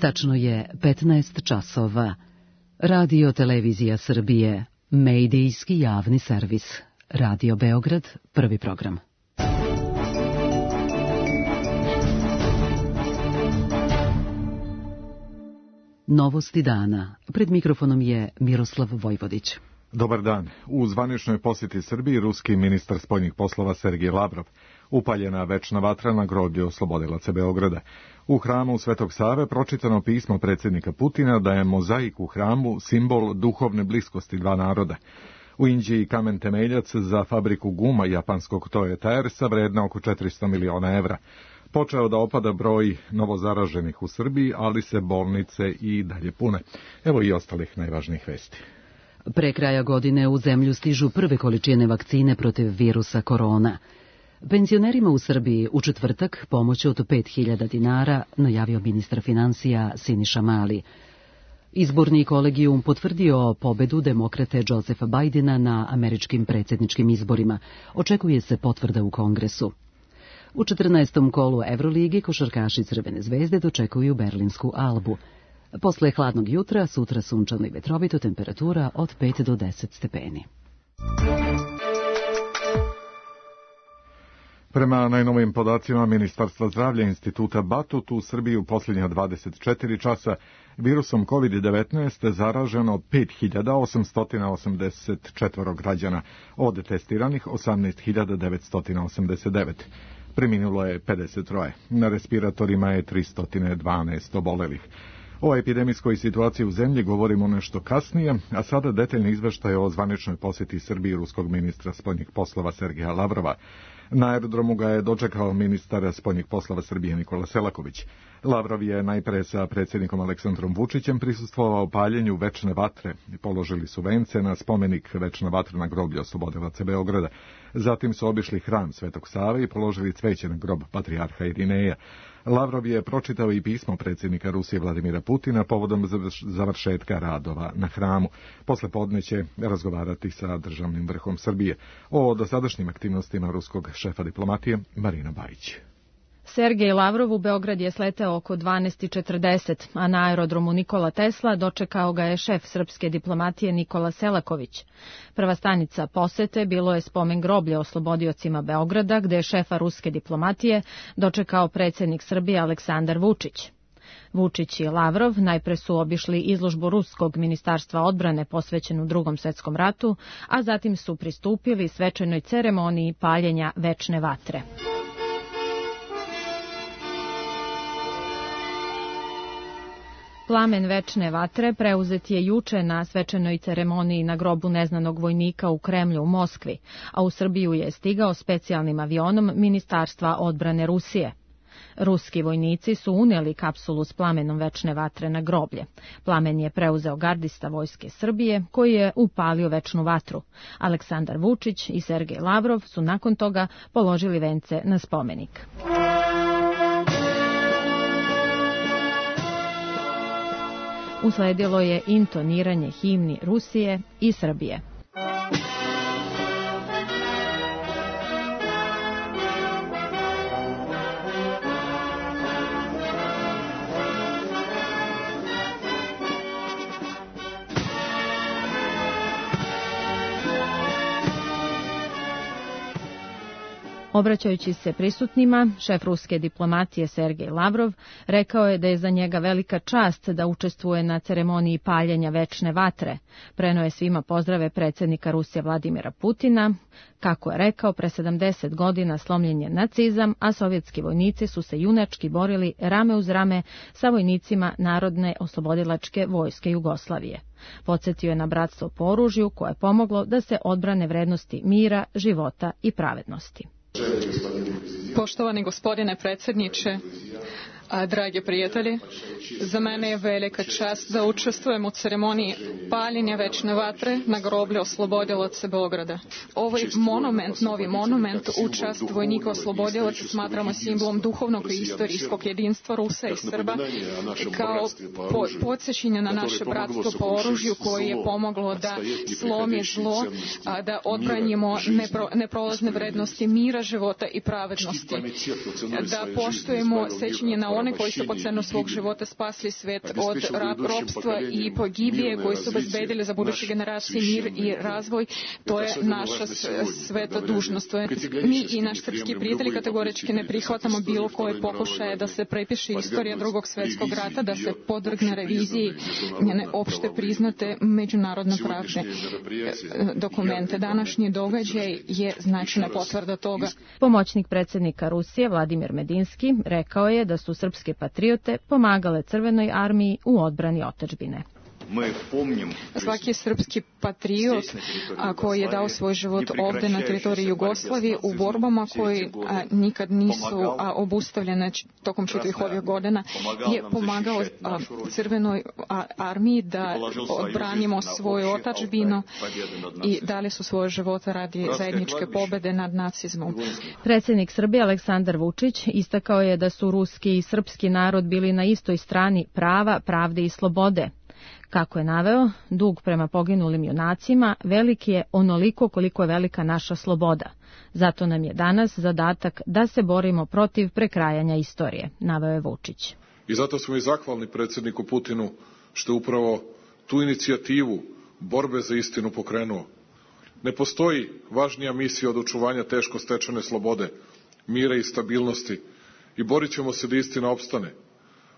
Tačno je 15 časova. Radio Televizija Srbije, medijski javni servis. Radio Beograd, prvi program. Novosti dana. Pred mikrofonom je Miroslav Vojvodić. Dobar dan. U zvaničnoj posjeti Srbiji ruski ministar spoljnih poslova Sergej Lavrov. Upaljena večna vatra na groblju oslobodilaca Beograda. U hramu Svetog Save pročitano pismo predsjednika Putina da je mozaik u hramu simbol duhovne bliskosti dva naroda. U Inđiji kamen temeljac za fabriku guma japanskog Toyota Airsa vredna oko 400 miliona evra. Počeo da opada broj novozaraženih u Srbiji, ali se bolnice i dalje pune. Evo i ostalih najvažnijih vesti. Pre kraja godine u zemlju stižu prve količine vakcine protiv virusa korona. Penzionerima u Srbiji u četvrtak pomoć od 5.000 dinara najavio ministar financija Siniša Mali. Izborni kolegijum potvrdio pobedu demokrate Josepha Bidena na američkim predsjedničkim izborima. Očekuje se potvrda u Kongresu. U 14. kolu Evroligi košarkaši Crvene zvezde dočekuju berlinsku Albu. Posle hladnog jutra, sutra sunčano i vetrovito, temperatura od 5 do 10 stepeni. Prema najnovijim podacima Ministarstva zdravlja Instituta Batut, u Srbiji u posljednja 24 časa virusom COVID-19 zaraženo 5.884 građana, od testiranih 18.989. Preminulo je 53. Na respiratorima je 312 obolelih. O epidemijskoj situaciji u zemlji govorimo nešto kasnije, a sada detaljni izveštaj o zvaničnoj posjeti Srbiji ruskog ministra spoljnih poslova Sergeja Lavrova. Na aerodromu ga je dočekao ministar spoljnih poslova Srbije Nikola Selaković. Lavrov je najpre sa predsjednikom Aleksandrom Vučićem prisustvovao paljenju večne vatre i položili su vence na spomenik večna vatra na groblju oslobodilaca Beograda. Zatim su obišli hram Svetog Save i položili cveće na grob patrijarha Irineja. Lavrov je pročitao i pismo predsjednika Rusije Vladimira Putina povodom završetka radova na hramu. Posle podne će razgovarati sa državnim vrhom Srbije. O dosadašnjim aktivnostima ruskog šefa diplomatije Marina Bajić. Sergej Lavrov u Beograd je sleteo oko 12:40, a na aerodromu Nikola Tesla dočekao ga je šef srpske diplomatije Nikola Selaković. Prva stanica posete bilo je spomen groblje oslobodiocima Beograda, gde je šefa ruske diplomatije dočekao predsjednik Srbije Aleksandar Vučić. Vučić i Lavrov najpre su obišli izložbu ruskog ministarstva odbrane posvećenu Drugom svjetskom ratu, a zatim su pristupili svečanoj ceremoniji paljenja večne vatre. Plamen večne vatre preuzet je juče na svečanoj ceremoniji na grobu neznanog vojnika u Kremlju u Moskvi, a u Srbiju je stigao specijalnim avionom Ministarstva odbrane Rusije. Ruski vojnici su unijeli kapsulu s plamenom večne vatre na groblje. Plamen je preuzeo gardista vojske Srbije, koji je upalio večnu vatru. Aleksandar Vučić i Sergej Lavrov su nakon toga položili vence na spomenik. Usledilo je intoniranje himni Rusije i Srbije. Obraćajući se prisutnima, šef ruske diplomatije Sergej Lavrov rekao je da je za njega velika čast da učestvuje na ceremoniji paljenja večne vatre. Preneo je svima pozdrave predsjednika Rusije Vladimira Putina. Kako je rekao, pre 70 godina slomljen je nacizam, a sovjetski vojnici su se junački borili rame uz rame sa vojnicima Narodne oslobodilačke vojske Jugoslavije. Podsjetio je na bratstvo po oružju koje je pomoglo da se odbrane vrednosti mira, života i pravednosti. Poštovani gospodine predsjedniče, dragi prijatelji, za mene je velika čast da učestvujem u ceremoniji paljenja večne vatre na groblju oslobodilaca Beograda. Ovaj monument, novi monument u čast vojnika oslobodilaca smatramo simbolom duhovnog i istorijskog jedinstva Rusa i Srba, kao podsjećanje na naše bratstvo po oružju koje je pomoglo da slomi zlo, da odbranimo neprolazne vrednosti mira, života i pravednosti, da poštujemo sećanje na one koji su po cenu svog života spasli svet od ropstva i pogibije, koji su obezbedili za buduće generacije mir i razvoj, to je naša sveta dužnost. Mi i naš srpski prijatelji kategorički ne prihvatamo bilo koje pokušaje da se prepiše istorija Drugog svetskog rata, da se podvrgne reviziji njene opšte priznate međunarodno pravne dokumente. Današnji događaj je značajna potvrda toga. Pomoćnik predsjednika Rusije Vladimir Medinski rekao je da su srpske patriote pomagale Crvenoj armiji u odbrani otadžbine. Svaki srpski patriot koji je dao svoj život ovde na teritoriji Jugoslavije u borbama koji nikad nisu obustavljene tokom čitavih ovih godina je pomagao Crvenoj armiji da odbranimo svoju otadžbinu i dali su svoje živote radi zajedničke pobede nad nacizmom. Predsjednik Srbije Aleksandar Vučić istakao je da su ruski i srpski narod bili na istoj strani prava, pravde i slobode. Kako je naveo, dug prema poginulim junacima veliki je onoliko koliko je velika naša sloboda. Zato nam je danas zadatak da se borimo protiv prekrajanja istorije, naveo je Vučić. I zato smo i zahvalni predsjedniku Putinu što je upravo tu inicijativu borbe za istinu pokrenuo. Ne postoji važnija misija od očuvanja teško stečene slobode, mira i stabilnosti i borit ćemo se da istina opstane.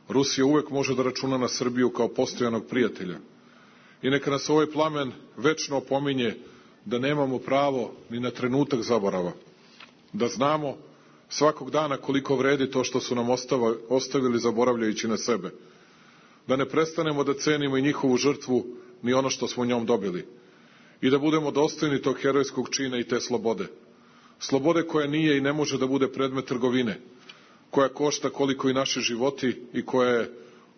Rusija uvek može da računa na Srbiju kao postojanog prijatelja. I neka nas ovaj plamen večno opominje da nemamo pravo ni na trenutak zaborava. Da znamo svakog dana koliko vredi to što su nam ostavili zaboravljajući na sebe. Da ne prestanemo da cenimo i njihovu žrtvu ni ono što smo njom dobili. I da budemo dostojni tog herojskog čina i te slobode. Slobode koja nije i ne može da bude predmet trgovine, koja košta koliko i naši životi i koja je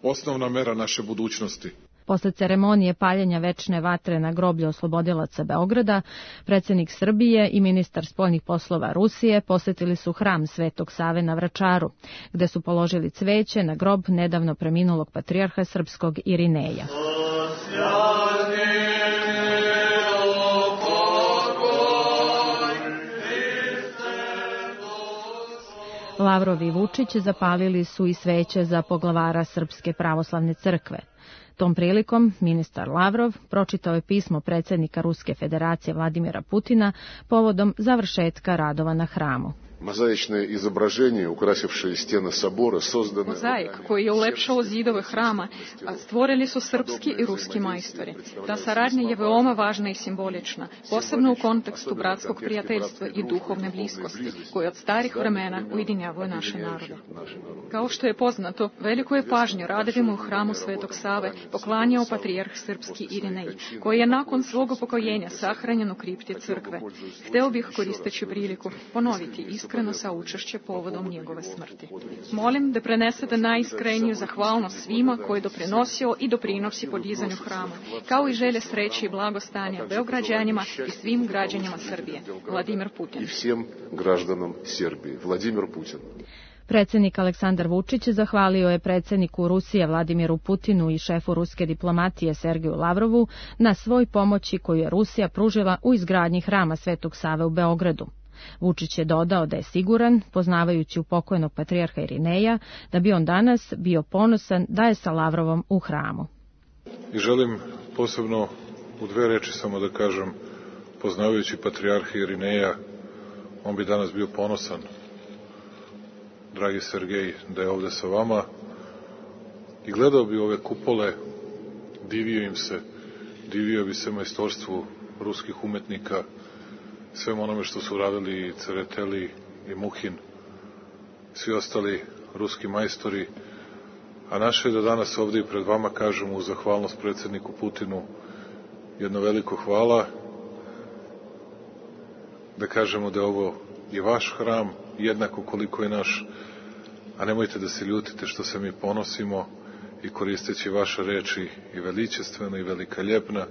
osnovna mera naše budućnosti. Posle ceremonije paljenja večne vatre na groblju oslobodilaca Beograda, predsjednik Srbije i ministar spoljnih poslova Rusije posetili su hram Svetog Save na Vračaru, gde su položili cveće na grob nedavno preminulog patrijarha srpskog Irineja. Lavrov i Vučić zapalili su i sveće za poglavara Srpske pravoslavne crkve. Tom prilikom ministar Lavrov pročitao je pismo predsjednika Ruske federacije Vladimira Putina povodom završetka radova na hramu. Mozaične izobraženje ukrasivše stijene sabora sozdane... Mozaik koji je ulepšao zidove hrama stvorili su srpski i ruski majstori. Ta saradnja je veoma važna i simbolična, posebno u kontekstu bratskog prijateljstva i duhovne bliskosti, koje od starih vremena ujedinjavaju naše narode. Kao što je poznato, veliko je pažnju radovima u hramu Svetog Save poklanjao patrijarh srpski Irinej, koji je nakon svog upokojenja sahranjen u kripti crkve. Hteo bih, koristeći priliku, ponoviti iskreno saučešće povodom njegove smrti. Molim da prenesete najiskreniju zahvalnost svima koji je doprinosio i doprinosi podizanju hrama, kao i želje sreće i blagostanja Beograđanima i svim građanima Srbije. Vladimir Putin. I svim građanima Srbije. Vladimir Putin. Predsjednik Aleksandar Vučić zahvalio je predsjedniku Rusije Vladimiru Putinu i šefu ruske diplomatije Sergeju Lavrovu na svoj pomoći koju je Rusija pružila u izgradnji hrama Svetog Save u Beogradu. Vučić je dodao da je siguran, poznavajući upokojnog patrijarha Irineja, da bi on danas bio ponosan da je sa Lavrovom u hramu. I želim posebno u dve reči samo da kažem, poznavajući patrijarha Irineja, on bi danas bio ponosan, dragi Sergej, da je ovde sa vama i gledao bi ove kupole, divio bi se majstorstvu ruskih umetnika, svem onome što su radili i Cereteli i Muhin, svi ostali ruski majstori, a naše je da danas ovdje i pred vama kažemo u zahvalnost predsjedniku Putinu jedno veliko hvala, da kažemo da je ovo i vaš hram, jednako koliko je naš, a nemojte da se ljutite što se mi ponosimo i koristeći vaše reči i veličestvena i velikaljepna,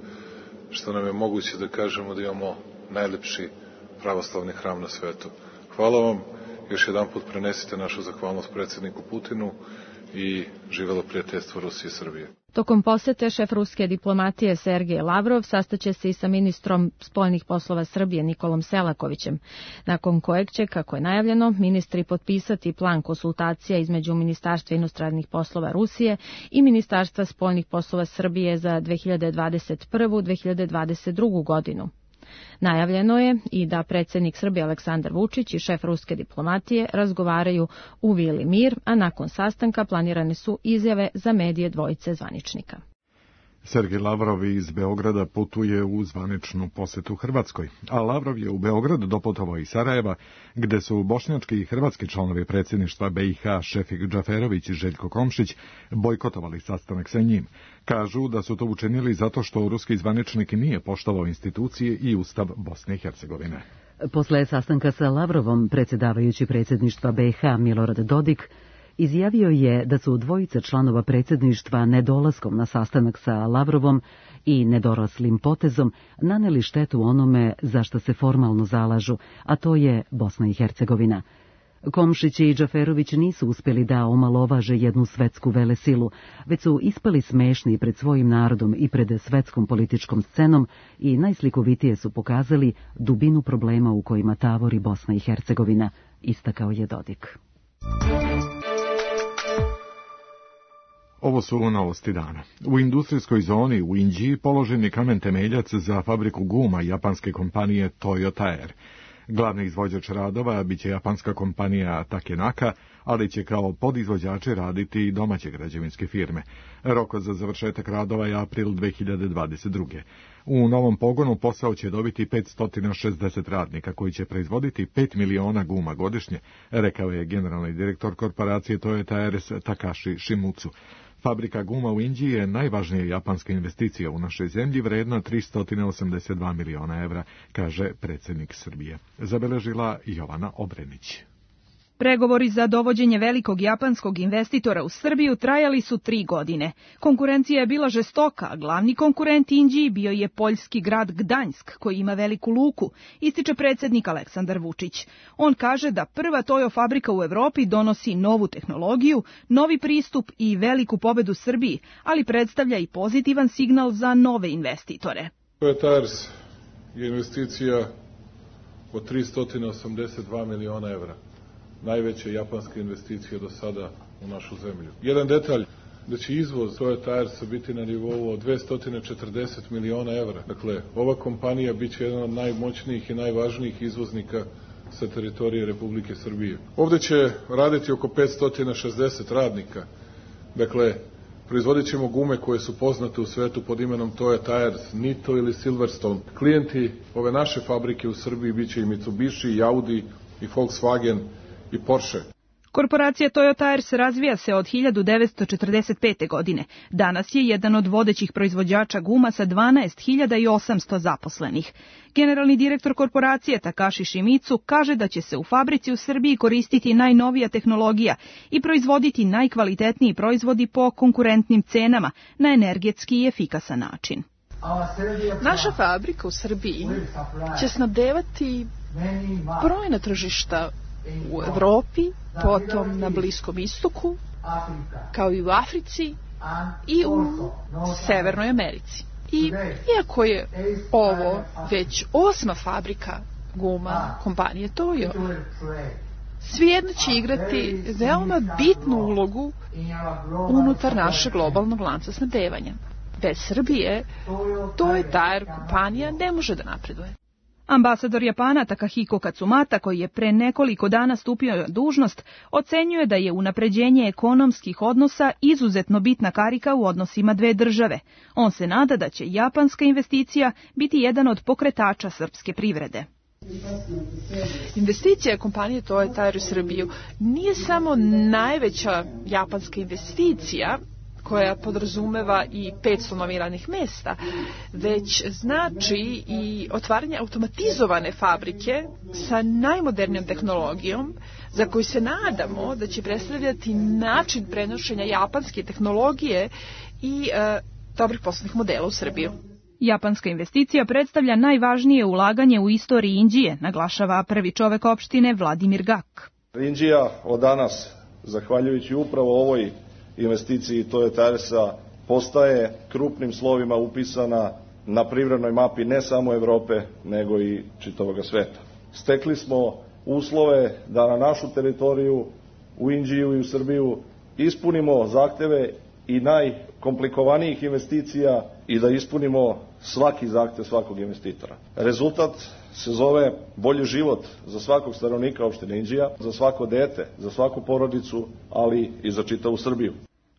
što nam je moguće da kažemo da imamo najlepši pravoslavni hram na svetu. Hvala vam, još jedan put prenesite našu zahvalnost predsjedniku Putinu i živelo prijateljstvo Rusije i Srbije. Tokom posete šef ruske diplomatije Sergej Lavrov sastaće se i sa ministrom spoljnih poslova Srbije Nikolom Selakovićem, nakon kojeg će, kako je najavljeno, ministri potpisati plan konsultacija između Ministarstva inostranih poslova Rusije i Ministarstva spoljnih poslova Srbije za 2021-2022. godinu. Najavljeno je i da predsjednik Srbije Aleksandar Vučić i šef ruske diplomatije razgovaraju u Vili Mir, a nakon sastanka planirane su izjave za medije dvojice zvaničnika. Sergej Lavrov iz Beograda putuje u zvaničnu posetu Hrvatskoj, a Lavrov je u Beograd doputovao iz Sarajeva, gde su bošnjački i hrvatski članovi predsjedništva BiH Šefik Džaferović i Željko Komšić bojkotovali sastanak sa njim. Kažu da su to učinili zato što ruski zvaničnik nije poštovao institucije i Ustav Bosne i Hercegovine. Posle sastanka sa Lavrovom, predsjedavajući predsjedništva BiH Milorad Dodik izjavio je da su dvojice članova predsjedništva nedolaskom na sastanak sa Lavrovom i nedoraslim potezom naneli štetu onome za što se formalno zalažu, a to je Bosna i Hercegovina. Komšić i Džaferović nisu uspjeli da omalovaže jednu svetsku velesilu, već su ispali smešni pred svojim narodom i pred svetskom političkom scenom i najslikovitije su pokazali dubinu problema u kojima tavori Bosna i Hercegovina, istakao je Dodik. Ovo su novosti dana. U industrijskoj zoni u Inđiji položen je kamen temeljac za fabriku guma japanske kompanije Toyota Air. Glavni izvođač radova biće japanska kompanija Takenaka, ali će kao podizvođači raditi i domaće građevinske firme. Rok za završetak radova je april 2022. U novom pogonu posao će dobiti 560 radnika koji će proizvoditi 5 miliona guma godišnje, rekao je generalni direktor korporacije Toyota Air Takashi Shimizu. Fabrika guma u Inđiji je najvažnija japanska investicija u našoj zemlji, vredna 382 miliona evra, kaže predsjednik Srbije. Zabeležila Jovana Obrenić. Pregovori za dovođenje velikog japanskog investitora u Srbiju trajali su 3 godine. Konkurencija je bila žestoka, a glavni konkurent Inđiji bio je poljski grad Gdanjsk, koji ima veliku luku, ističe predsjednik Aleksandar Vučić. On kaže da prva Toyo fabrika u Evropi donosi novu tehnologiju, novi pristup i veliku pobedu Srbiji, ali predstavlja i pozitivan signal za nove investitore. Toyota Air je investicija od 382 miliona evra. Najveća japanska investicija do sada u našu zemlju. Jedan detalj, da će izvoz Toyota Airsa biti na nivou od 240 miliona evra. Dakle, ova kompanija biće jedan od najmoćnijih i najvažnijih izvoznika sa teritorije Republike Srbije. Ovde će raditi oko 560 radnika. Dakle, proizvodit ćemo gume koje su poznate u svetu pod imenom Toyota Airs, Nitto ili Silverstone. Klijenti ove naše fabrike u Srbiji biće i Mitsubishi, i Audi, i Volkswagen, i Porsche. Korporacija Toyota Airs razvija se od 1945. godine. Danas je jedan od vodećih proizvođača guma sa 12.800 zaposlenih. Generalni direktor korporacije Takashi Shimizu kaže da će se u fabrici u Srbiji koristiti najnovija tehnologija i proizvoditi najkvalitetniji proizvodi po konkurentnim cenama na energetski i efikasan način. Naša fabrika u Srbiji će snabdevati brojna tržišta u Evropi, potom na Bliskom istoku, kao i u Africi i u Severnoj Americi. I iako je ovo već 8. fabrika guma kompanije Toyo, svejedno će igrati veoma bitnu ulogu unutar našeg globalnog lanca snabdevanja. Bez Srbije Toyota Air kompanija ne može da napreduje. Ambasador Japana Takahiko Katsumata, koji je pre nekoliko dana stupio na dužnost, ocenjuje da je unapređenje ekonomskih odnosa izuzetno bitna karika u odnosima dve države. On se nada da će japanska investicija biti jedan od pokretača srpske privrede. Investicija kompanije Toyota Air u Srbiju nije samo najveća japanska investicija koja podrazumeva i 500 novih radnih mesta, već znači i otvaranje automatizovane fabrike sa najmodernijom tehnologijom, za koju se nadamo da će predstavljati način prenošenja japanske tehnologije i dobrih poslovnih modela u Srbiju. Japanska investicija predstavlja najvažnije ulaganje u istoriji Inđije, naglašava prvi čovek opštine Vladimir Gak. Inđija od danas, zahvaljujući upravo ovoj investiciji Toyota Airsa, postaje krupnim slovima upisana na privrednoj mapi ne samo Evrope, nego i čitavog sveta. Stekli smo uslove da na našu teritoriju, u Inđiju i u Srbiju, ispunimo zahteve i najkomplikovanijih investicija i da ispunimo svaki zahtev svakog investitora. Rezultat se zove bolji život za svakog stanovnika opštine Inđija, za svako dete, za svaku porodicu, ali i za čitavu Srbiju.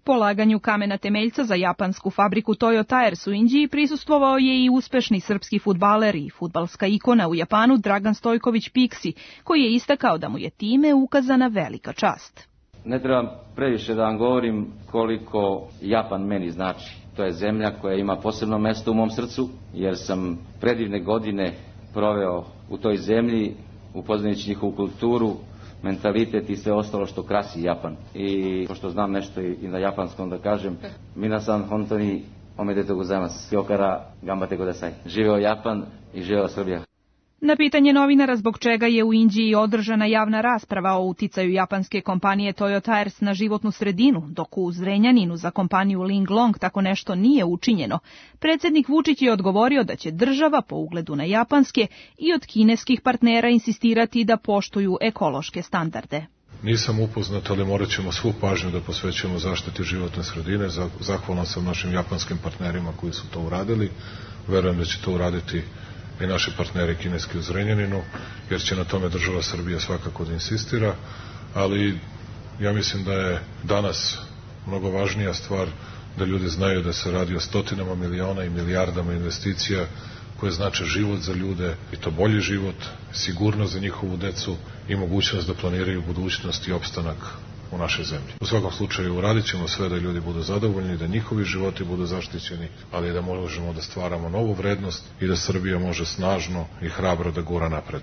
Polaganju kamena temeljca za japansku fabriku Toyo Tires u Inđiji prisustvovao je i uspešni srpski fudbaler i fudbalska ikona u Japanu Dragan Stojković Piksi, koji je istakao da mu je time ukazana velika čast. Ne trebam previše da vam govorim koliko Japan meni znači. To je zemlja koja ima posebno mesto u mom srcu, jer sam predivne godine proveo u toj zemlji, upoznajući njihovu kulturu, mentalitet i sve ostalo što krasi Japan. I pošto znam nešto i na japanskom da kažem, minasan honto ni omedetou gozaimasu. Kyo kara ganbatte kudasai. Živeo Japan i živeo Srbija. Na pitanje novinara zbog čega je u Inđiji održana javna rasprava o uticaju japanske kompanije Toyo Tires na životnu sredinu, dok u Zrenjaninu za kompaniju Linglong tako nešto nije učinjeno, predsjednik Vučić je odgovorio da će država po ugledu na japanske i od kineskih partnera insistirati da poštuju ekološke standarde. Nisam upoznat, ali morat ćemo svu pažnju da posvećujemo zaštiti životne sredine. Zahvalan sam našim japanskim partnerima koji su to uradili. Verujem da će to uraditi i naši partneri kineski u Zrenjaninu, jer će na tome država Srbija svakako da insistira, ali ja mislim da je danas mnogo važnija stvar da ljudi znaju da se radi o stotinama miliona i milijardama investicija koje znače život za ljude, i to bolji život, sigurnost za njihovu decu i mogućnost da planiraju budućnost i opstanak u našoj zemlji. U svakom slučaju uradit ćemo sve da ljudi budu zadovoljni, da njihovi životi budu zaštićeni, ali da možemo da stvaramo novu vrednost i da Srbija može snažno i hrabro da gura napred.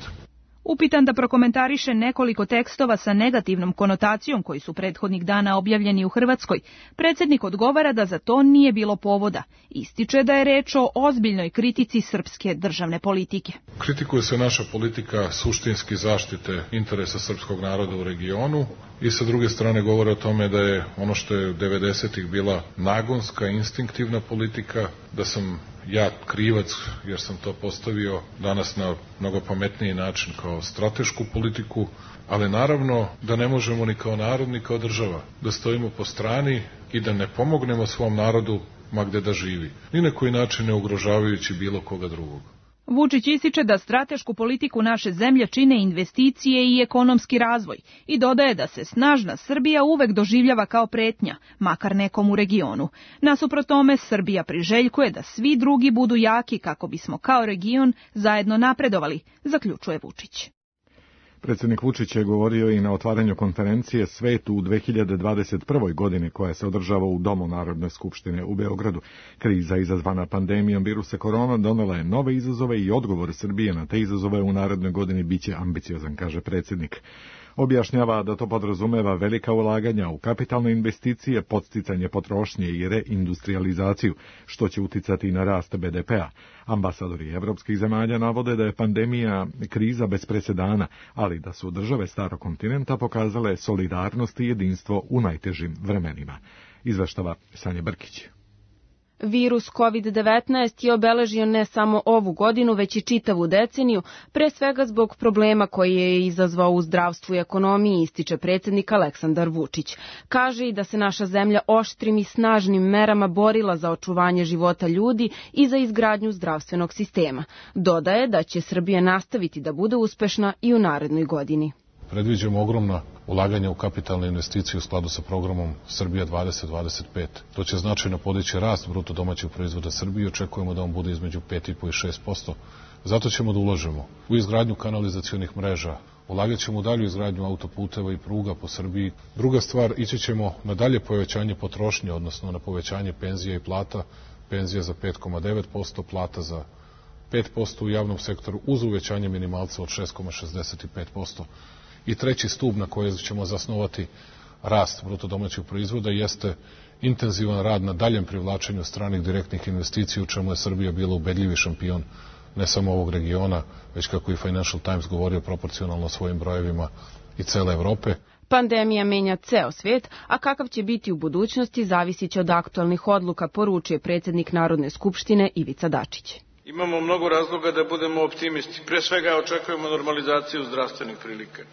Upitan da prokomentariše nekoliko tekstova sa negativnom konotacijom koji su prethodnih dana objavljeni u Hrvatskoj, predsjednik odgovara da za to nije bilo povoda. Ističe da je reč o ozbiljnoj kritici srpske državne politike. Kritikuje se naša politika suštinski zaštite interesa srpskog naroda u regionu i sa druge strane govore o tome da je ono što je 90-ih bila nagonska, instinktivna politika, da sam ja krivac jer sam to postavio danas na mnogo pametniji način kao stratešku politiku, ali naravno da ne možemo ni kao narod ni kao država da stojimo po strani i da ne pomognemo svom narodu ma gde da živi, ni na koji način ne ugrožavajući bilo koga drugog. Vučić ističe da stratešku politiku naše zemlje čine investicije i ekonomski razvoj i dodaje da se snažna Srbija uvek doživljava kao pretnja, makar nekom u regionu. Nasuprot tome, Srbija priželjkuje da svi drugi budu jaki kako bismo kao region zajedno napredovali, zaključuje Vučić. Predsjednik Vučić je govorio i na otvaranju konferencije Svet u 2021. godini koja se održava u Domu Narodne skupštine u Beogradu. Kriza izazvana pandemijom virusa korona donela je nove izazove i odgovor Srbije na te izazove u narednoj godini biće ambiciozan, kaže predsjednik. Objašnjava da to podrazumeva velika ulaganja u kapitalne investicije, podsticanje potrošnje i reindustrializaciju, što će uticati na rast BDP-a. Ambasadori evropskih zemalja navode da je pandemija kriza bez presedana, ali da su države starog kontinenta pokazale solidarnost i jedinstvo u najtežim vremenima. Izveštava Sanja Brkić. Virus COVID-19 je obeležio ne samo ovu godinu, već i čitavu deceniju, pre svega zbog problema koji je izazvao u zdravstvu i ekonomiji, ističe predsjednik Aleksandar Vučić. Kaže i da se naša zemlja oštrim i snažnim merama borila za očuvanje života ljudi i za izgradnju zdravstvenog sistema. Dodaje da će Srbija nastaviti da bude uspešna i u narednoj godini. Predviđamo ogromna ulaganja u kapitalne investicije u skladu sa programom Srbija 2025. To će značajno podići rast bruto domaćeg proizvoda Srbije i očekujemo da on bude između 5,5 i 6%. Zato ćemo da ulažemo u izgradnju kanalizacionih mreža, ulagat ćemo u dalju izgradnju autoputeva i pruga po Srbiji. Druga stvar, ići ćemo na dalje povećanje potrošnje, odnosno na povećanje penzija i plata, penzija za 5,9%, plata za 5% u javnom sektoru uz uvećanje minimalca od 6,65%. I treći stub na koji ćemo zasnovati rast bruto domaćeg proizvoda jeste intenzivan rad na daljem privlačenju stranih direktnih investicija, u čemu je Srbija bila ubedljivi šampion ne samo ovog regiona, već kako i Financial Times govorio proporcionalno svojim brojevima i cele Evrope. Pandemija menja ceo svet, a kakav će biti u budućnosti zavisit će od aktualnih odluka, poručuje predsjednik Narodne skupštine Ivica Dačić. Imamo mnogo razloga da budemo optimisti. Pre svega očekujemo normalizaciju zdravstvenih prilika.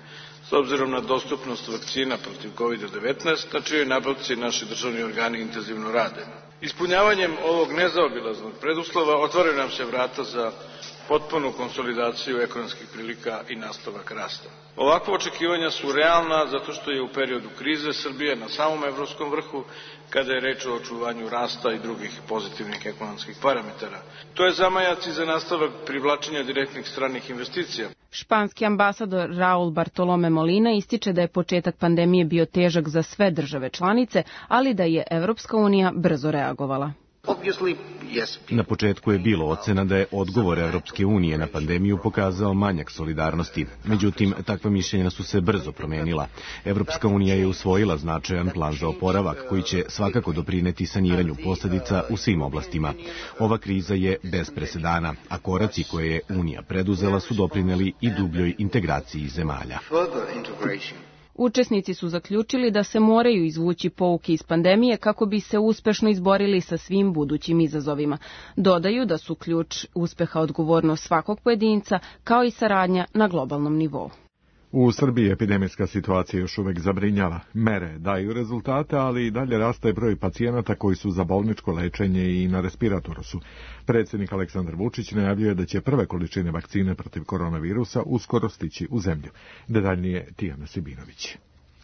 S obzirom na dostupnost vakcina protiv COVID-19, na čijoj nabavci naši državni organi intenzivno rade. Ispunjavanjem ovog nezaobilaznog preduslova otvaraju nam se vrata za potpunu konsolidaciju ekonomskih prilika i nastavak rasta. Ovakva očekivanja su realna zato što je u periodu krize Srbija na samom evropskom vrhu kada je reč o očuvanju rasta i drugih pozitivnih ekonomskih parametara. To je zamajac i za nastavak privlačenja direktnih stranih investicija. Španski ambasador Raul Bartolome Molina ističe da je početak pandemije bio težak za sve države članice, ali da je Evropska unija brzo reagovala. Na početku je bilo ocena da je odgovor Evropske unije na pandemiju pokazao manjak solidarnosti. Međutim, takva mišljenja su se brzo promenila. Evropska unija je usvojila značajan plan za oporavak koji će svakako doprineti saniranju posljedica u svim oblastima. Ova kriza je bez presedana, a koraci koje je Unija preduzela su doprineli i dubljoj integraciji zemalja. Učesnici su zaključili da se moraju izvući pouke iz pandemije kako bi se uspešno izborili sa svim budućim izazovima. Dodaju da su ključ uspeha odgovornost svakog pojedinca, kao i saradnja na globalnom nivou. U Srbiji epidemijska situacija još uvek zabrinjava. Mere daju rezultate, ali i dalje raste broj pacijenata koji su za bolničko lečenje i na respiratoru su. Predsjednik Aleksandar Vučić najavljuje da će prve količine vakcine protiv koronavirusa uskoro stići u zemlju. Detaljnije Tijana Sibinović.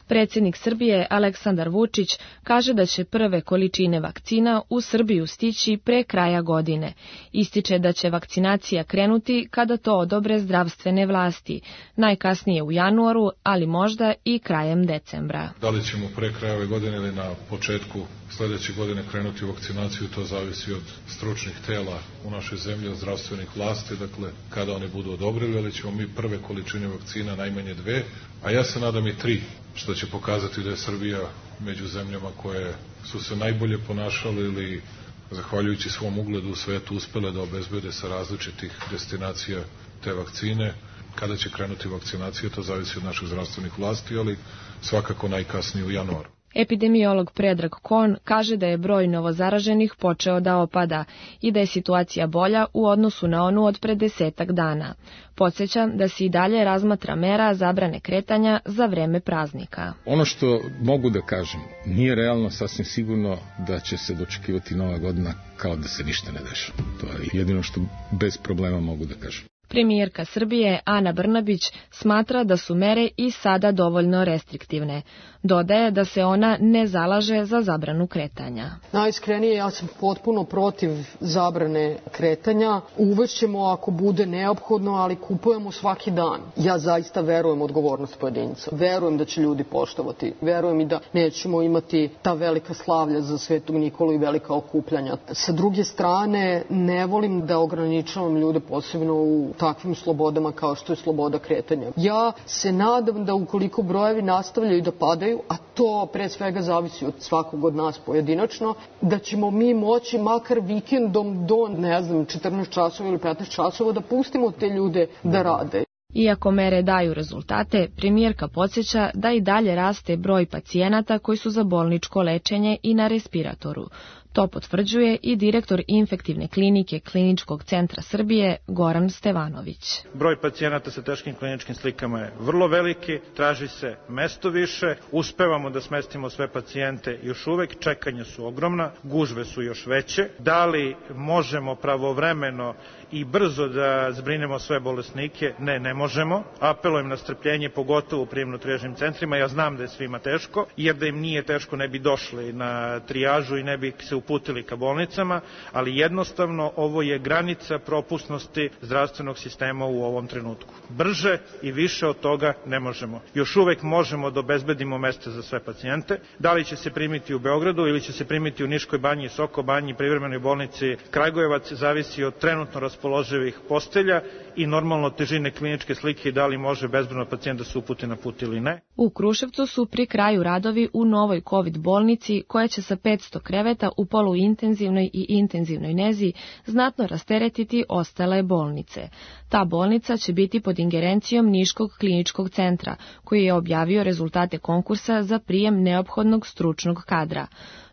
Predsjednik Srbije Aleksandar Vučić kaže da će prve količine vakcina u Srbiju stići pre kraja godine. Ističe da će vakcinacija krenuti kada to odobre zdravstvene vlasti, najkasnije u januaru, ali možda i krajem decembra. Da li ćemo pre kraja ove godine ili na početku sljedeće godine krenuti u vakcinaciju, to zavisi od stručnih tela u našoj zemlji, od zdravstvenih vlasti, dakle kada oni budu odobrili, ali ćemo mi prve količine vakcina najmanje 2, a ja se nadam i 3, što će pokazati da je Srbija među zemljama koje su se najbolje ponašale ili zahvaljujući svom ugledu u svetu uspele da obezbede sa različitih destinacija te vakcine. Kada će krenuti vakcinacija, to zavisi od naših zdravstvenih vlasti, ali svakako najkasnije u januaru. Epidemiolog Predrag Kon kaže da je broj novozaraženih počeo da opada i da je situacija bolja u odnosu na onu od pre 10 dana. Podsjeća da se i dalje razmatra mera zabrane kretanja za vreme praznika. Ono što mogu da kažem, nije realno sasvim sigurno da će se dočekivati Nova godina kao da se ništa ne dešava. To je jedino što bez problema mogu da kažem. Premijerka Srbije Ana Brnabić smatra da su mere i sada dovoljno restriktivne. Dodaje da se ona ne zalaže za zabranu kretanja. Najiskrenije, ja sam potpuno protiv zabrane kretanja. Uvešćemo ako bude neophodno, ali kupujemo svaki dan. Ja zaista verujem u odgovornost pojedinca. Verujem da će ljudi poštovati. Verujem i da nećemo imati ta velika slavlja za Svetog Nikolu i velika okupljanja. Sa druge strane, ne volim da ograničavam ljude posebno u takvim slobodama kao što je sloboda kretanja. Ja se nadam da ukoliko brojevi nastavljaju da padaju, a to pre svega zavisi od svakog od nas pojedinačno, da ćemo mi moći makar vikendom do, 14 časova ili 15 časova da pustimo te ljude da rade. Iako mere daju rezultate, premijerka podsjeća da i dalje raste broj pacijenata koji su za bolničko lečenje i na respiratoru. To potvrđuje i direktor infektivne klinike Kliničkog centra Srbije Goran Stevanović. Broj pacijenata sa teškim kliničkim slikama je vrlo veliki, traži se mesto više, uspevamo da smestimo sve pacijente, još uvek čekanja su ogromna, gužve su još veće. Da li možemo pravovremeno i brzo da zbrinemo sve bolesnike? Ne možemo. Apelujem na strpljenje, pogotovo u prijemno-trijažnim centrima. Ja znam da je svima teško, jer da im nije teško ne bi došli na trijažu i ne bi se uputili ka bolnicama, ali jednostavno ovo je granica propusnosti zdravstvenog sistema u ovom trenutku. Brže i više od toga ne možemo. Još uvek možemo da obezbedimo mesta za sve pacijente. Da li će se primiti u Beogradu ili će se primiti u Niškoj banji, Soko banji, privremenoj bolnici Kragujevac, zavisi od trenutno raspoloživih postelja i normalno težine kliničke slike i da li može bezbrojno pacijent da se uputi na put ili ne. U Kruševcu su pri kraju radovi u novoj COVID bolnici koja će sa 500 kreveta u poluintenzivnoj i intenzivnoj nezi znatno rasteretiti ostale bolnice. Ta bolnica će biti pod ingerencijom Niškog kliničkog centra, koji je objavio rezultate konkursa za prijem neophodnog stručnog kadra.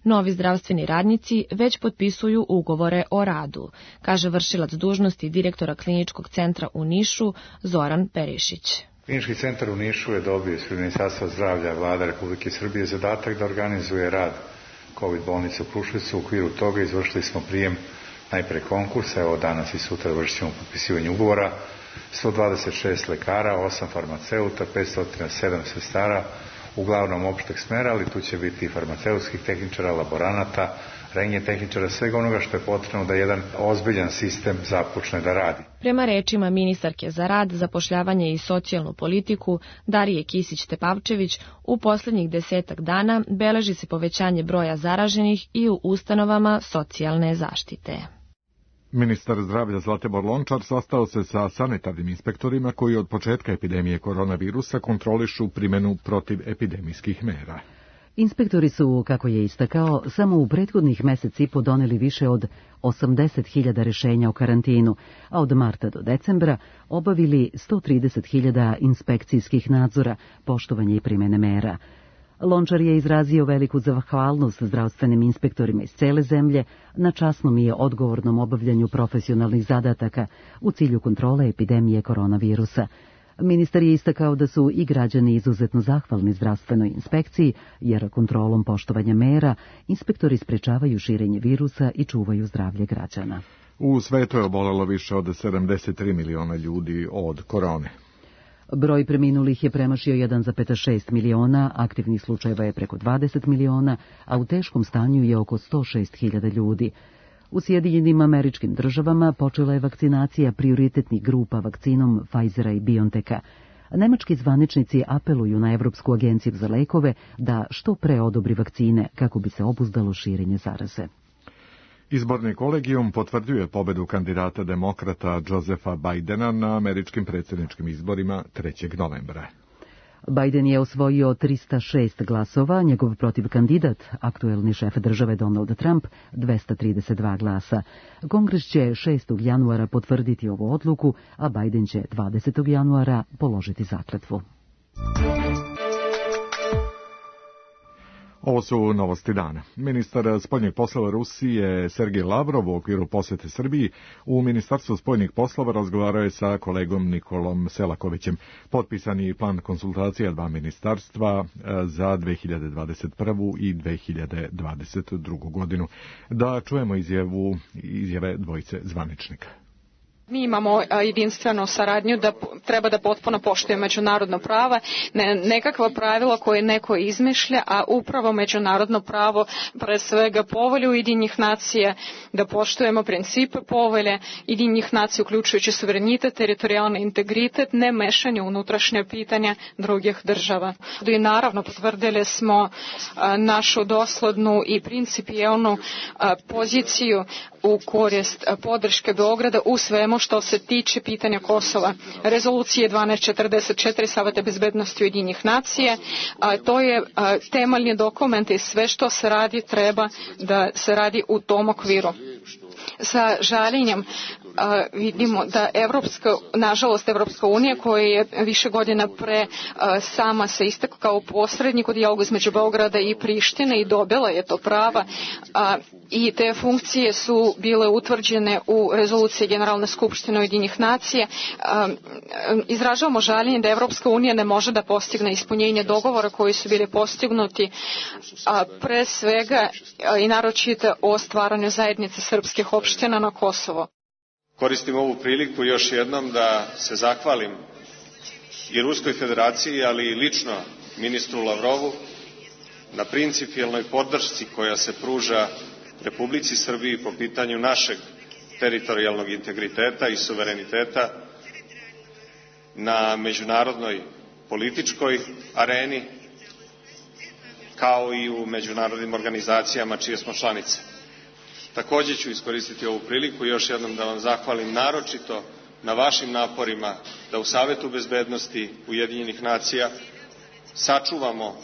Novi zdravstveni radnici već potpisuju ugovore o radu, kaže vršilac dužnosti direktora kliničkog centra u Nišu Zoran Perišić. Klinički centar u Nišu je dobio iz Ministarstva zdravlja Vlada Republike Srbije zadatak da organizuje rad COVID bolnice u Kruševcu. U okviru toga izvršili smo prijem najpre konkursa, evo danas i sutra vršit ćemo potpisivanje ugovora, 126 lekara, 8 farmaceuta, 507 sestara, uglavnom opšteg smera, ali tu će biti i farmaceutskih tehničara, laboranata, rentgen tehničara, svega onoga što je potrebno da jedan ozbiljan sistem započne da radi. Prema rečima ministarke za rad, zapošljavanje i socijalnu politiku Darije Kisić-Tepavčević, u poslednjih 10 dana beleži se povećanje broja zaraženih i u ustanovama socijalne zaštite. Ministar zdravlja Zlatibor Lončar sastao se sa sanitarnim inspektorima koji od početka epidemije koronavirusa kontrolišu primjenu protivepidemijskih mera. Inspektori su, kako je istakao, samo u prethodnih meseci doneli više od 80.000 rešenja o karantinu, a od marta do decembra obavili 130.000 inspekcijskih nadzora, poštovanje i primjene mera. Lončar je izrazio veliku zahvalnost zdravstvenim inspektorima iz cele zemlje na časnom i odgovornom obavljanju profesionalnih zadataka u cilju kontrole epidemije koronavirusa. Ministar je istakao da su i građani izuzetno zahvalni zdravstvenoj inspekciji, jer kontrolom poštovanja mera inspektori sprečavaju širenje virusa i čuvaju zdravlje građana. U svetu je obolelo više od 73 miliona ljudi od korone. Broj preminulih je premašio 1,6 miliona, aktivnih slučajeva je preko 20 miliona, a u teškom stanju je oko 106.000 ljudi. U Sjedinjenim Američkim Državama počela je vakcinacija prioritetnih grupa vakcinom Pfizera i BioNTecha. Nemački zvaničnici apeluju na Evropsku agenciju za lekove da što pre odobri vakcine kako bi se obuzdalo širenje zaraze. Izborni kolegijum potvrđuje pobedu kandidata demokrata Josepha Bidena na američkim predsjedničkim izborima 3. novembra. Biden je osvojio 306 glasova, njegov protivkandidat, aktuelni šef države Donald Trump, 232 glasa. Kongres će 6. januara potvrditi ovu odluku, a Biden će 20. januara položiti zakletvu. Ovo su novosti dana. Ministar spoljnih poslova Rusije Sergej Lavrov u okviru posjete Srbiji u Ministarstvu spoljnih poslova razgovarao je sa kolegom Nikolom Selakovićem. Potpisani plan konsultacija dva ministarstva za 2021. i 2022. godinu. Da čujemo izjave dvojice zvaničnika. Mi imamo jedinstvenu saradnju da treba da potpuno poštuje međunarodno pravo, nekakva pravila koje neko izmišlja, a upravo međunarodno pravo, pre svega povelju Ujedinjenih nacija, da poštujemo principe povelje Ujedinjenih nacija, uključujući suverenitet, teritorijalni integritet, ne mešanje unutrašnje pitanja drugih država. I naravno potvrdili smo našu doslednu i principijelnu poziciju u korist podrške Beograda u svemu što se tiče pitanja Kosova. Rezolucije 1244 Saveta bezbednosti Ujedinjenih nacija, to je temeljni dokument i sve što se radi treba da se radi u tom okviru. Sa žaljenjem vidimo da nažalost Evropska unija, koja je više godina pre sama se istakla kao posrednik u dijalogu između Beograda i Prištine i dobila je to prava, i te funkcije su bile utvrđene u rezoluciji Generalne skupštine Ujedinjenih nacija. Izražavamo žaljenje da Evropska unija ne može da postigne ispunjenje dogovora koji su bili postignuti, pre svega i naročito o stvaranju zajednice srpskih opština na Kosovo. Koristim ovu priliku još jednom da se zahvalim i Ruskoj federaciji, ali i lično ministru Lavrovu na principijelnoj podršci koja se pruža Republici Srbiji po pitanju našeg teritorijalnog integriteta i suvereniteta na međunarodnoj političkoj areni, kao i u međunarodnim organizacijama čije smo članice. Također ću iskoristiti ovu priliku još jednom da vam zahvalim naročito na vašim naporima da u Savetu bezbednosti Ujedinjenih nacija sačuvamo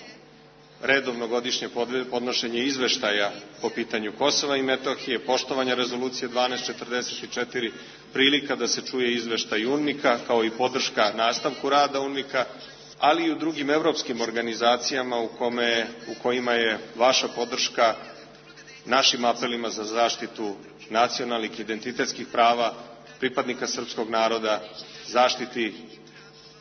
redovno godišnje podnošenje izveštaja po pitanju Kosova i Metohije, poštovanja rezolucije 1244, prilika da se čuje izveštaj UNMIK-a, kao i podrška nastavku rada UNMIK-a, ali i u drugim evropskim organizacijama u kojima je vaša podrška našim apelima za zaštitu nacionalnih identitetskih prava pripadnika srpskog naroda, zaštiti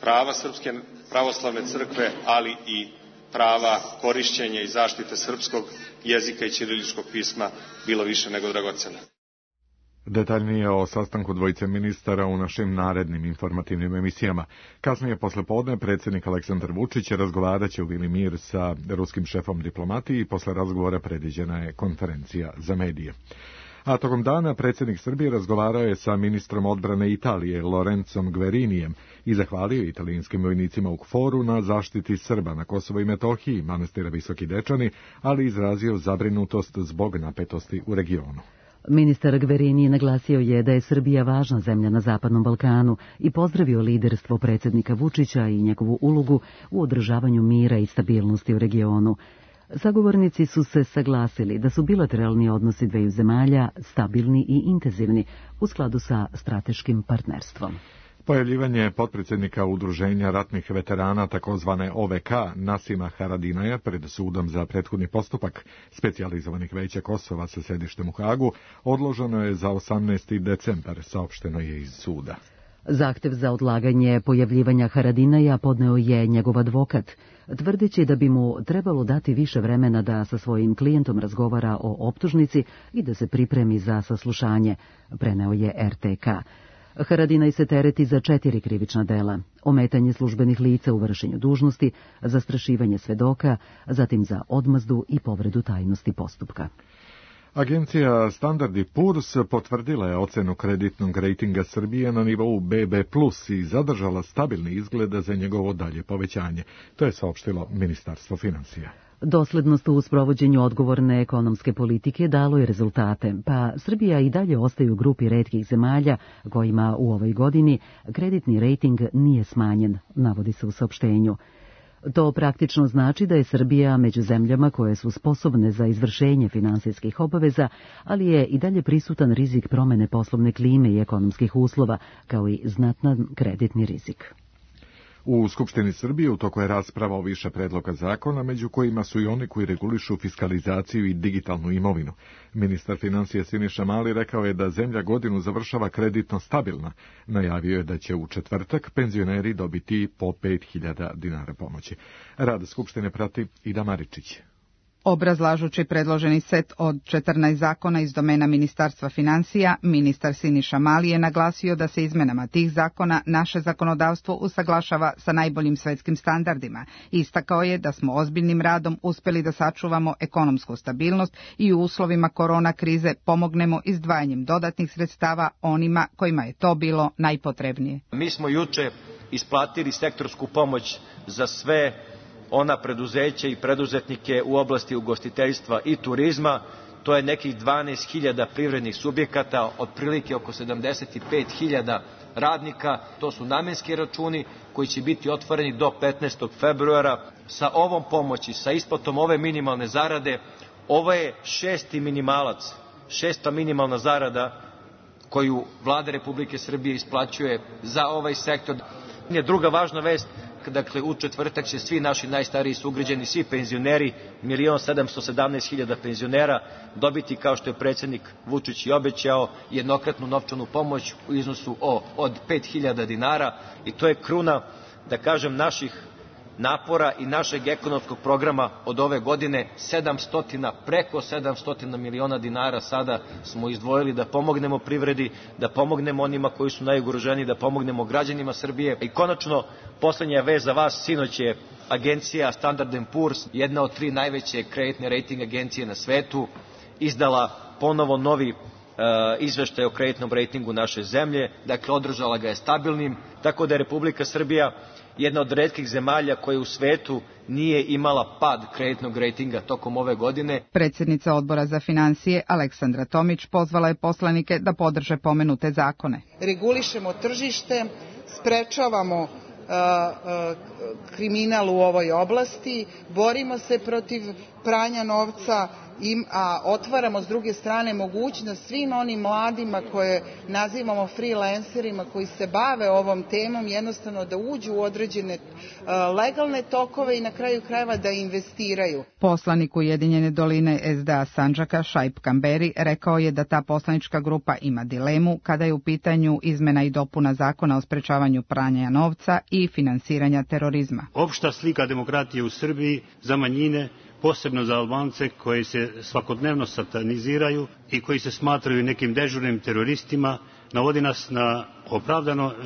prava Srpske pravoslavne crkve, ali i prava korišćenja i zaštite srpskog jezika i ćiriličkog pisma bilo više nego dragocena. Detaljnije o sastanku dvojice ministara u našim narednim informativnim emisijama. Kasnije poslepodne predsjednik Aleksandar Vučić razgovaraće u Vili Mir sa ruskim šefom diplomatije i posle razgovora predviđena je konferencija za medije. A tokom dana predsjednik Srbije razgovarao je sa ministrom odbrane Italije Lorenzom Guerinijem i zahvalio italijanskim vojnicima u KFOR-u na zaštiti Srba na Kosovo i Metohiji, manastira Visoki Dečani, ali izrazio zabrinutost zbog napetosti u regionu. Ministar Guerini naglasio je da je Srbija važna zemlja na Zapadnom Balkanu i pozdravio liderstvo predsjednika Vučića i njegovu ulogu u održavanju mira i stabilnosti u regionu. Sagovornici su se saglasili da su bilateralni odnosi dveju zemalja stabilni i intenzivni u skladu sa strateškim partnerstvom. Pojavljivanje potpredsjednika Udruženja ratnih veterana takozvane OVK Nasima Haradinaja pred sudom za prethodni postupak specijalizovanih veća Kosova sa sedištem u Hagu odloženo je za 18. decembar, saopšteno je iz suda. Zahtev za odlaganje pojavljivanja Haradinaja podneo je njegov advokat, tvrdeći da bi mu trebalo dati više vremena da sa svojim klijentom razgovara o optužnici i da se pripremi za saslušanje, preneo je RTK. Haradinaj se tereti za 4 krivična dela: ometanje službenih lica u vršenju dužnosti, zastrašivanje svedoka, zatim za odmazdu i povredu tajnosti postupka. Agencija Standard & Poor's potvrdila je ocenu kreditnog rejtinga Srbije na nivou BB+ i zadržala stabilni izgled za njegovo dalje povećanje. To je saopštilo Ministarstvo financija. Doslednost u sprovođenju odgovorne ekonomske politike dalo je rezultate, pa Srbija i dalje ostaje u grupi retkih zemalja kojima u ovoj godini kreditni rejting nije smanjen, navodi se u saopštenju. To praktično znači da je Srbija među zemljama koje su sposobne za izvršenje finansijskih obaveza, ali je i dalje prisutan rizik promene poslovne klime i ekonomskih uslova, kao i znatan kreditni rizik. U Skupštini Srbije u toku je rasprava o više predloga zakona, među kojima su i oni koji regulišu fiskalizaciju i digitalnu imovinu. Ministar financija Siniša Mali rekao je da zemlja godinu završava kreditno stabilna. Najavio je da će u četvrtak penzioneri dobiti po 5.000 dinara pomoći. Rad Skupštine prati Ida Maričić. Obrazlažući predloženi set od 14 zakona iz domena Ministarstva financija, ministar Siniša Mali je naglasio da se izmenama tih zakona naše zakonodavstvo usaglašava sa najboljim svetskim standardima. Istakao je da smo ozbiljnim radom uspeli da sačuvamo ekonomsku stabilnost i u uslovima korona krize pomognemo izdvajanjem dodatnih sredstava onima kojima je to bilo najpotrebnije. Mi smo juče isplatili sektorsku pomoć za sve ona preduzeća i preduzetnike u oblasti ugostiteljstva i turizma. To je nekih 12.000 privrednih subjekata, otprilike oko 75.000 radnika. To su namenski računi koji će biti otvoreni do 15. februara. Sa ovom pomoći, sa isplatom ove minimalne zarade, ovo je 6. minimalac, 6. minimalna zarada koju Vlada Republike Srbije isplaćuje za ovaj sektor. Druga važna vest, dakle u četvrtak će svi naši najstariji sugrađani, svi penzioneri, 1.717.000 penzionera dobiti, kao što je predsjednik Vučić i obećao, jednokratnu novčanu pomoć u iznosu od 5.000 dinara i to je kruna, da kažem, naših napora i našeg ekonomskog programa od ove godine. Preko 700 miliona dinara sada smo izdvojili da pomognemo privredi, da pomognemo onima koji su najugroženiji, da pomognemo građanima Srbije. I konačno, poslednja vest za vas, sinoć je agencija Standard & Poor's, jedna od 3 najveće kreditne rejting agencije na svetu, izdala ponovo novi izveštaj o kreditnom rejtingu naše zemlje, dakle održala ga je stabilnim, tako da je Republika Srbija jedna od retkih zemalja koja u svetu nije imala pad kreditnog rejtinga tokom ove godine. Predsjednica Odbora za financije Aleksandra Tomić pozvala je poslanike da podrže pomenute zakone. Regulišemo tržište, sprečavamo kriminal u ovoj oblasti, borimo se protiv pranja novca, a otvaramo s druge strane mogućnost svim onim mladima koje nazivamo freelancerima koji se bave ovom temom jednostavno da uđu u određene legalne tokove i na kraju krajeva da investiraju. Poslanik Ujedinjene doline SDA Sandžaka Šaip Kamberi rekao je da ta poslanička grupa ima dilemu kada je u pitanju izmena i dopuna zakona o sprečavanju pranja novca i finansiranja terorizma. Opšta slika demokratije u Srbiji za manjine, posebno za Albance koji se svakodnevno sataniziraju i koji se smatraju nekim dežurnim teroristima, navodi nas na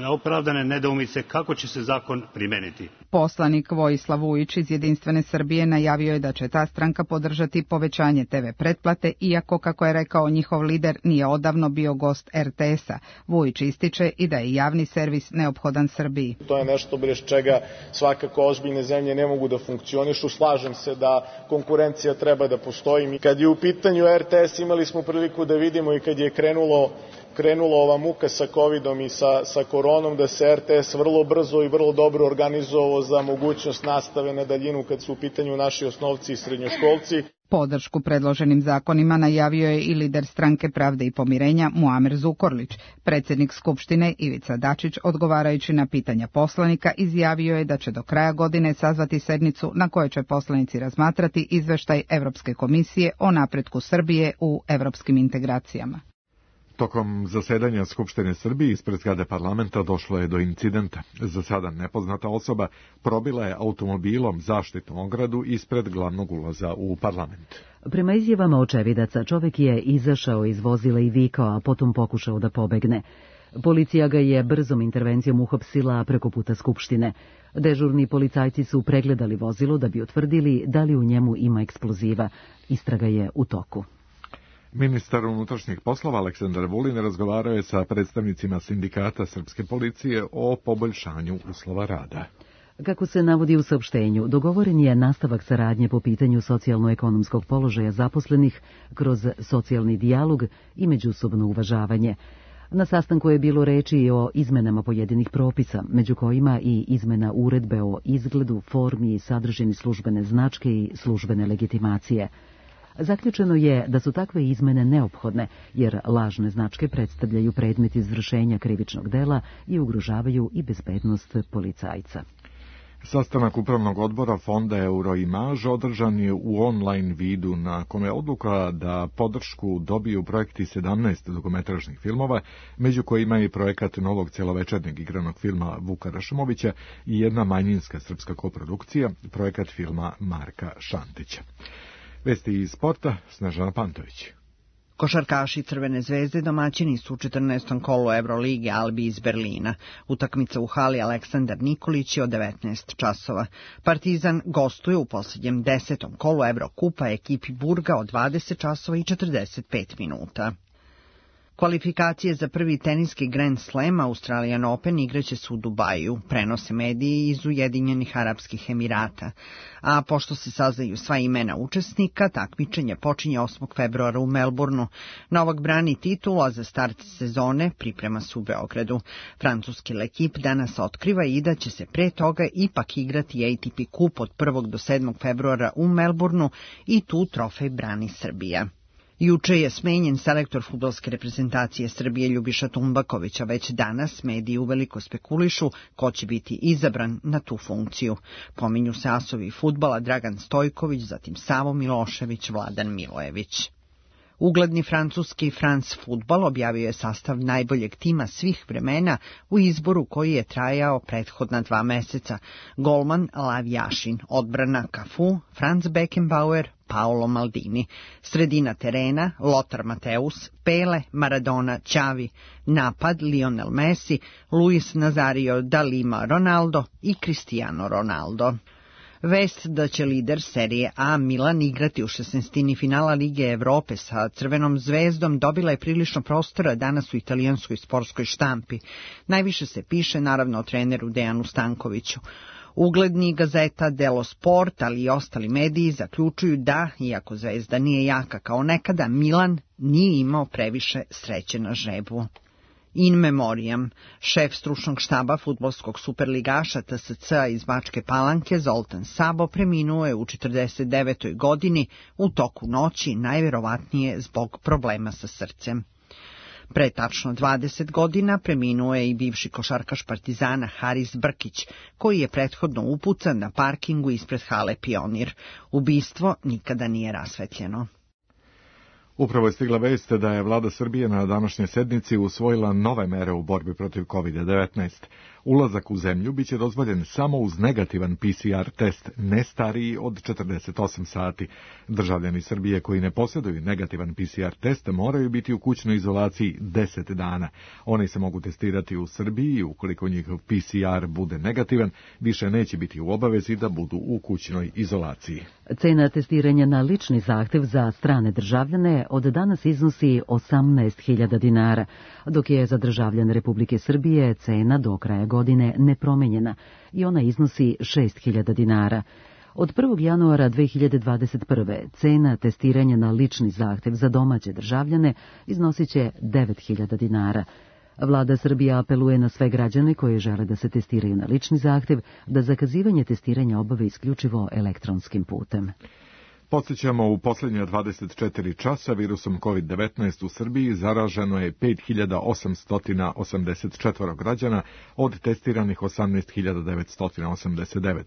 opravdane nedoumice kako će se zakon primeniti. Poslanik Vojislav Vujić iz Jedinstvene Srbije najavio je da će ta stranka podržati povećanje TV pretplate, iako, kako je rekao njihov lider, nije odavno bio gost RTS-a. Vujić ističe i da je javni servis neophodan Srbiji. To je nešto bez čega svakako ozbiljne zemlje ne mogu da funkcionišu. Slažem se da konkurencija treba da postoji. Kad je u pitanju RTS, imali smo priliku da vidimo i kad je krenula ova muka sa covidom i sa koronom, da se RTS vrlo brzo i vrlo dobro organizovao za mogućnost nastave na daljinu kad su u pitanju naši osnovci i srednjoškolci. Podršku predloženim zakonima najavio je i lider Stranke pravde i pomirenja Muamer Zukorlić. Predsjednik Skupštine Ivica Dačić, odgovarajući na pitanja poslanika, izjavio je da će do kraja godine sazvati sednicu na kojoj će poslanici razmatrati izveštaj Evropske komisije o napretku Srbije u evropskim integracijama. Tokom zasedanja Skupštine Srbije ispred zgrade parlamenta došlo je do incidenta. Za sada nepoznata osoba probila je automobilom zaštitnu ogradu ispred glavnog ulaza u parlament. Prema izjavama očevidaca, čovjek je izašao iz vozila i vikao, a potom pokušao da pobegne. Policija ga je brzom intervencijom uhapsila preko puta Skupštine. Dežurni policajci su pregledali vozilo da bi utvrdili da li u njemu ima eksploziva. Istraga je u toku. Ministar unutrašnjih poslova Aleksandar Vulin razgovarao je sa predstavnicima sindikata srpske policije o poboljšanju uslova rada. Kako se navodi u saopštenju, dogovoren je nastavak saradnje po pitanju socijalno-ekonomskog položaja zaposlenih kroz socijalni dijalog i međusobno uvažavanje. Na sastanku je bilo reči i o izmenama pojedinih propisa, među kojima i izmena uredbe o izgledu, formi i sadržini službene značke i službene legitimacije. Zaključeno je da su takve izmene neophodne, jer lažne značke predstavljaju predmet izvršenja krivičnog dela i ugrožavaju i bezbednost policajca. Sastanak upravnog odbora fonda Euroimage održan je u online vidu, na kome je odluka da podršku dobiju projekti 17 dokumentarnih filmova, među kojima je projekat novog celovečernjeg igranog filma Vuka Rašmovića i jedna manjinska srpska koprodukcija, projekat filma Marka Šantića. Vesti iz sporta, Snežana Pantović. Košarkaši Crvene zvezde domaćini su u 14. kolu Evrolige Albi iz Berlina. Utakmica u hali Aleksandar Nikolić je od 19 časova. Partizan gostuje u posljednjem 10. kolu Evrokupa ekipi Burga od 20 časova i 45 minuta. Kvalifikacije za prvi teniski Grand Slam Australian Open igraće se u Dubaju, prenose mediji iz Ujedinjenih Arapskih Emirata. A pošto se saznaju sva imena učesnika, takmičenje počinje 8. februara u Melbourneu. Novak brani titulu, a za start sezone priprema se u Beogradu. Francuski L'Equipe danas otkriva i da će se pre toga ipak igrati ATP kup od 1. do 7. februara u Melbourneu i tu trofej brani Srbija. Juče je smenjen selektor fudbalske reprezentacije Srbije Ljubiša Tumbaković, a već danas mediji uveliko spekulišu ko će biti izabran na tu funkciju. Pominju se asovi fudbala Dragan Stojković, zatim Savo Milošević, Vladan Milojević. Ugledni francuski France Football objavio je sastav najboljeg tima svih vremena u izboru koji je trajao prethodna 2 meseca. Golman Lav Jašin, odbrana Cafu, Franz Beckenbauer, Paolo Maldini, sredina terena Lothar Matthäus, Pele, Maradona, Xavi, napad Lionel Messi, Luis Nazario da Lima Ronaldo i Cristiano Ronaldo. Vest da će lider serije A Milan igrati u 16. finala Lige Evrope sa Crvenom zvezdom dobila je prilično prostora danas u italijanskoj sportskoj štampi. Najviše se piše naravno o treneru Dejanu Stankoviću. Ugledni gazeta Delo Sport, ali i ostali mediji zaključuju da, iako zvezda nije jaka kao nekada, Milan nije imao previše sreće na žrebu. In memoriam, šef stručnog štaba fudbalskog superligaša TSC-a iz Bačke Palanke Zoltan Sabo preminuo je u 49. godini u toku noći, najverovatnije zbog problema sa srcem. Pre tačno 20 godina preminuo je i bivši košarkaš Partizana Haris Brkić, koji je prethodno upucan na parkingu ispred hale Pionir. Ubistvo nikada nije rasvetljeno. Upravo je stigla vest da je vlada Srbije na današnjoj sednici usvojila nove mere u borbi protiv COVID-19. Ulazak u zemlju biće dozvoljen samo uz negativan PCR test, ne stariji od 48 sati. Državljani Srbije koji ne posjeduju negativan PCR test moraju biti u kućnoj izolaciji 10 dana. Oni se mogu testirati u Srbiji i ukoliko njihov PCR bude negativan, više neće biti u obavezi da budu u kućnoj izolaciji. Cena testiranja na lični zahtev za strane državljane od danas iznosi 18.000 dinara, dok je za državljane Republike Srbije cena do kraja godine nepromenjena i ona iznosi 6.000 dinara. Od 1. januara 2021. cena testiranja na lični zahtev za domaće državljane iznosit će 9.000 dinara. Vlada Srbije apeluje na sve građane koji žele da se testiraju na lični zahtev da zakazivanje testiranja obave isključivo elektronskim putem. Podsjećamo, u posljednja 24 časa virusom COVID-19 u Srbiji zaraženo je 5.884 građana od testiranih 18.989.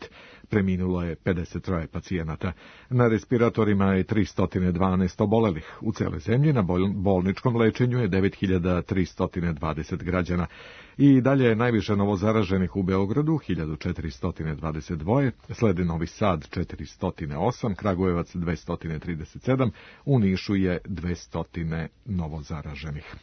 Preminulo je 53 pacijenata. Na respiratorima je 312 obolelih. U cijeloj zemlji na bolničkom lečenju je 9.320 građana. I dalje je najviše novozaraženih u Beogradu, 1422, sledi Novi Sad 408, Kragujevac 237, u Nišu je 200 novozaraženih.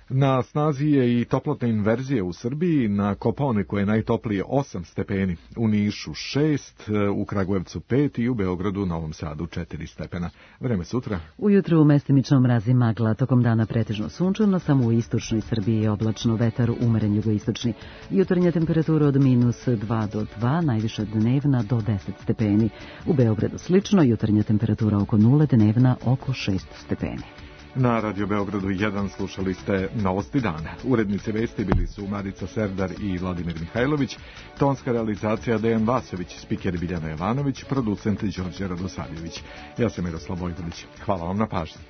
Na snazi je i toplotna inverzija u Srbiji, na Kopaoniku je najtoplije 8 stepeni, u Nišu 6, u Kragujevcu 5 i u Beogradu, Novom Sadu 4 stepena. Vreme sutra. Ujutru mestimično mrazi magla, tokom dana pretežno sunčano, samo u istočnoj Srbiji je oblačno, vetar umeren jugoistočni. Jutarnja temperatura od -2 do 2, najviša dnevna do 10 stepeni. U Beogradu slično, jutarnja temperatura oko 0, dnevna oko 6 stepeni. Na Radio Beogradu 1 slušali ste Novosti dana. Urednice vesti bili su Marica Serdar i Vladimir Mihajlović, tonska realizacija Dejan Vasović, spiker Biljana Jovanović, producent Đorđe Radosavljević. Ja sam Miroslav Bojković. Hvala vam na pažnji.